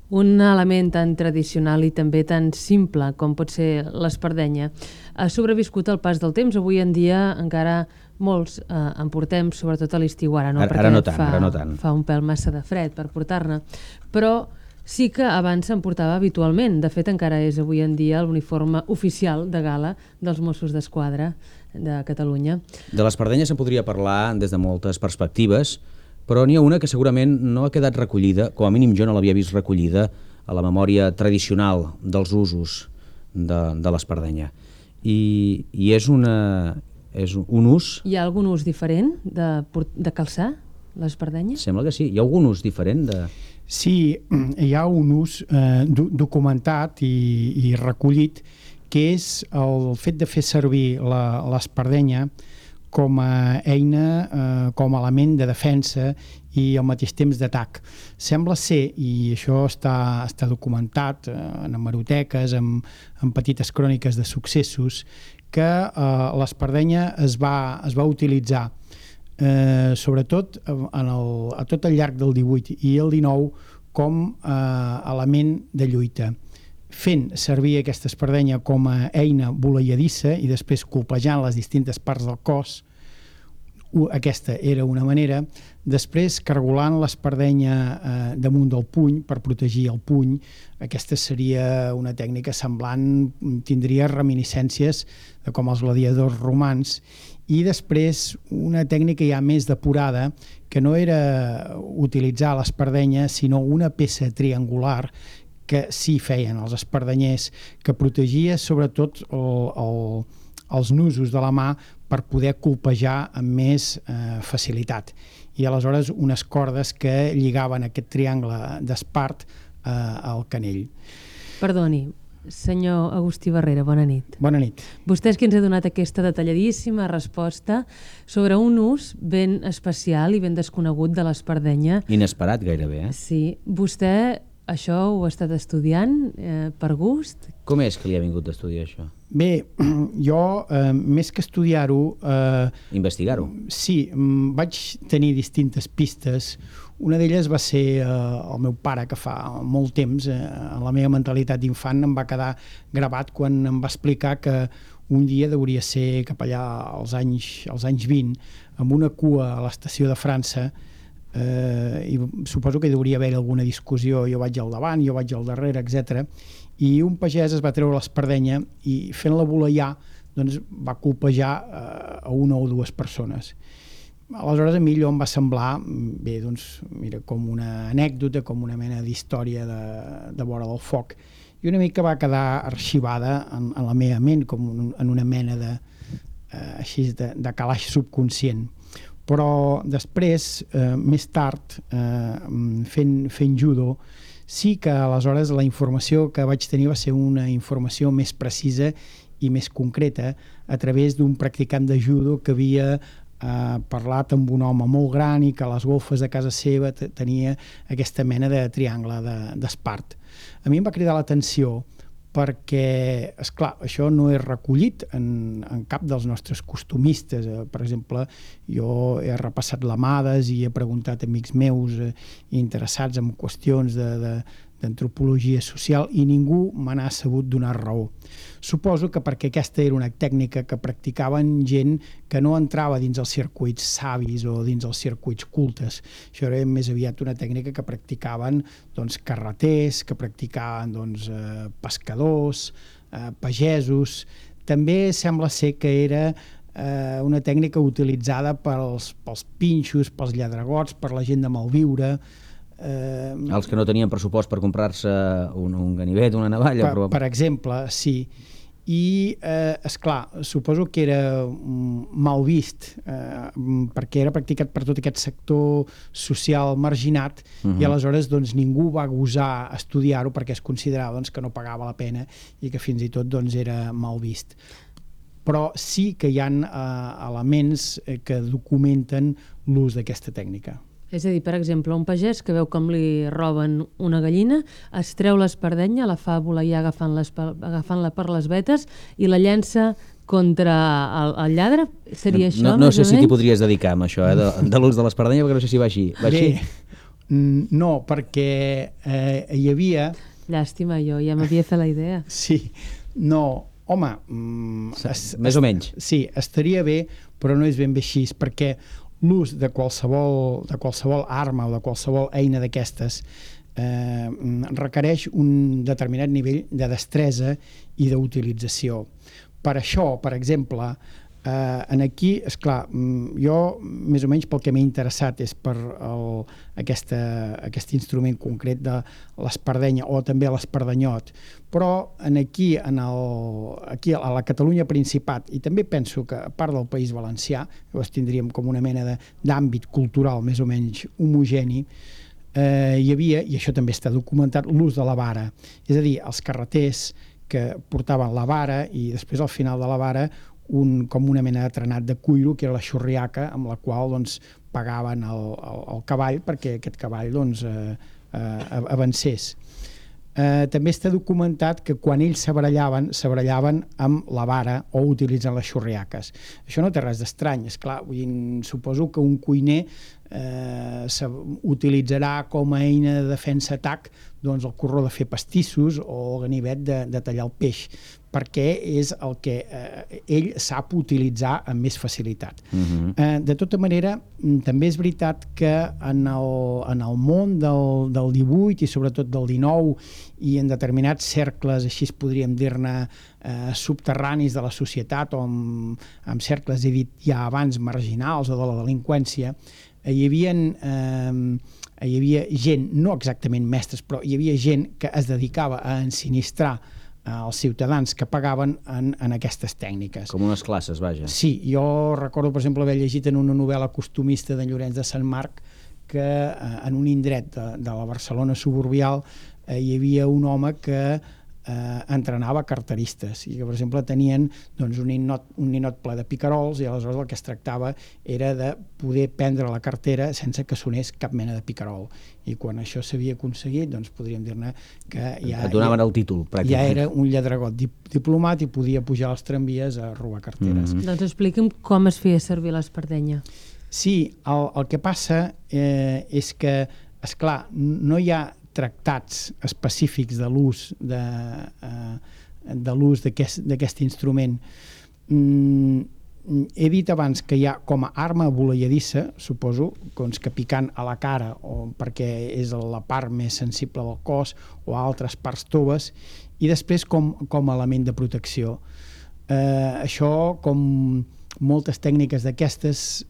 Un element tan tradicional i també tan simple com pot ser l'espardenya ha sobreviscut al pas del temps. Avui en dia encara molts en portem, sobretot a l'estiu, ara no, Ara no tant. Fa un pèl massa de fred per portar-ne, però sí que abans se'n portava habitualment. De fet, encara és avui en dia l'uniforme oficial de gala dels Mossos d'Esquadra de Catalunya. De l'espardenya se'n podria parlar des de moltes perspectives, però n'hi ha una que segurament no ha quedat recollida, com a mínim jo no l'havia vist recollida a la memòria tradicional dels usos de l'espardenya. I és un ús... Hi ha algun ús diferent de calçar l'espardenya? Sembla que sí. Hi ha algun ús diferent de... Sí, hi ha un ús documentat i recollit, que és el fet de fer servir l'espardenya com a eina, com a element de defensa i al mateix temps d'atac. Sembla ser, i això està documentat en hemeroteques, en petites cròniques de successos, que l'espardenya es va utilitzar sobretot a tot el llarg del 18 i el 19 com a element de lluita, fent servir aquesta espardenya com a eina voleiadissa i després colpejant les distintes parts del cos. Aquesta era una manera. Després, cargolant l'espardenya damunt del puny per protegir el puny. Aquesta seria una tècnica semblant, tindria reminiscències de com els gladiadors romans. I després una tècnica ja més depurada, que no era utilitzar l'espardenya, sinó una peça triangular que sí feien els espardenyers, que protegia sobretot els nusos de la mà per poder colpejar amb més facilitat. I aleshores unes cordes que lligaven aquest triangle d'espart al canell. Perdoni, senyor Agustí Barrera, bona nit. Bona nit. Vostè és qui ens ha donat aquesta detalladíssima resposta sobre un ús ben especial i ben desconegut de l'espardenya. Inesperat gairebé, Sí. Vostè això ho ha estat estudiant per gust? Com és que li ha vingut d'estudiar això? Bé, jo, més que estudiar-ho... Investigar-ho? Sí, vaig tenir distintes pistes. Una d'elles va ser el meu pare, que fa molt temps, en la meva mentalitat d'infant, em va quedar gravat quan em va explicar que un dia hauria ser cap allà als anys 20, amb una cua a l'estació de França, i suposo que hi hauria haver alguna discussió, jo vaig al davant, jo vaig al darrere, etc. I un pagès es va treure l'espardenya i fent-la voleiar doncs, va colpejar a una o dues persones. Aleshores a mi allò em va semblar bé, doncs, mira, com una anècdota, com una mena d'història de vora del foc, i una mica va quedar arxivada en la meva ment, com en una mena de calaix subconscient. Però després, més tard, fent judo, sí que aleshores la informació que vaig tenir va ser una informació més precisa i més concreta a través d'un practicant de judo que havia parlat amb un home molt gran i que a les golfes de casa seva tenia aquesta mena de triangle d'espart. A mi em va cridar l'atenció perquè, esclar, això no és recollit en cap dels nostres costumistes. Per exemple, jo he repassat l'Amades i he preguntat a amics meus interessats en qüestions d'antropologia social i ningú me n'ha sabut donar raó. Suposo que perquè aquesta era una tècnica que practicaven gent que no entrava dins els circuits savis o dins els circuits cultes. Això era més aviat una tècnica que practicaven carreters, que practicaven pescadors, pagesos. També sembla ser que era una tècnica utilitzada pels pinxos, pels lladregots, per la gent de malviure. Els que no tenien pressupost per comprar-se un ganivet, una navalla. Per exemple, sí. I, esclar, suposo que era mal vist perquè era practicat per tot aquest sector social marginat i aleshores ningú va gosar estudiar-ho perquè es considerava que no pagava la pena i que fins i tot era mal vist. Però sí que hi ha elements que documenten l'ús d'aquesta tècnica. És a dir, per exemple, un pagès que veu com li roben una gallina, es treu l'espardenya, la fa voleiar agafant-la per les vetes i la llença contra el lladre? Seria això? No sé si t'hi podries dedicar amb això, de l'ús de l'espardenya, perquè no sé si va així. Bé, No, perquè hi havia... Llàstima, jo ja m'havia fet la idea. Sí, no, home... Més o menys. Sí, estaria bé, però no és ben bé així, perquè l'ús de qualsevol arma o de qualsevol eina d'aquestes requereix un determinat nivell de destresa i d'utilització. Per això, per exemple, aquí, esclar, jo més o menys pel que m'he interessat és per aquest instrument concret de l'espardenya o també l'espardanyot, però aquí a la Catalunya Principat, i també penso que a part del País Valencià, llavors tindríem com una mena d'àmbit cultural més o menys homogeni, hi havia, i això també està documentat, l'ús de la vara, és a dir, els carreters que portaven la vara i després al final de la vara com una mena de trenat de cuiro, que era la xurriaca, amb la qual doncs, pagaven el cavall perquè aquest cavall doncs, avancés. També està documentat que quan ells s'abarallaven amb la vara o utilitzant les xurriaques. Això no té res d'estrany, esclar, suposo que un cuiner utilitzarà com a eina de defensa-atac doncs, el corró de fer pastissos o el ganivet de tallar el peix, perquè és el que ell sap utilitzar amb més facilitat. De tota manera, també és veritat que en el món del 18 i sobretot del 19 i en determinats cercles, així podríem dir-ne, subterranis de la societat o en cercles, he dit ja abans, marginals o de la delinqüència, hi havia gent, no exactament mestres, però hi havia gent que es dedicava a ensinistrar els ciutadans que pagaven en aquestes tècniques. Com unes classes, vaja. Sí, jo recordo, per exemple, haver llegit en una novel·la costumista d'en Llorenç de Sant Marc que en un indret de la Barcelona suburbial hi havia un home que entrenava carteristes i que, per exemple, tenien doncs, un ninot ple de picarols i aleshores el que es tractava era de poder prendre la cartera sense que sonés cap mena de picarol. I quan això s'havia aconseguit, doncs podríem dir-ne que et donaven el títol, pràcticament. Ja era un lladregot diplomat i podia pujar als tramvies a robar carteres. Doncs expliqui'm com es feia servir l'espardenya. Sí, el que passa és que, esclar, no hi ha tractats específics de l'ús d'aquest instrument. He dit abans que hi ha com a arma voleiadissa, suposo, doncs que picant a la cara o perquè és la part més sensible del cos o a altres parts toves, i després com a element de protecció. Això, com moltes tècniques d'aquestes,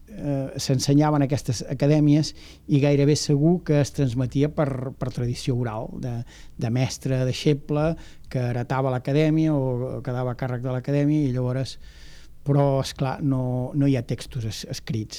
s'ensenyaven a aquestes acadèmies i gairebé segur que es transmetia per tradició oral, de mestre, deixeble, que heretava l'acadèmia o quedava a càrrec de l'acadèmia i llavors... Però, esclar, no hi ha textos escrits.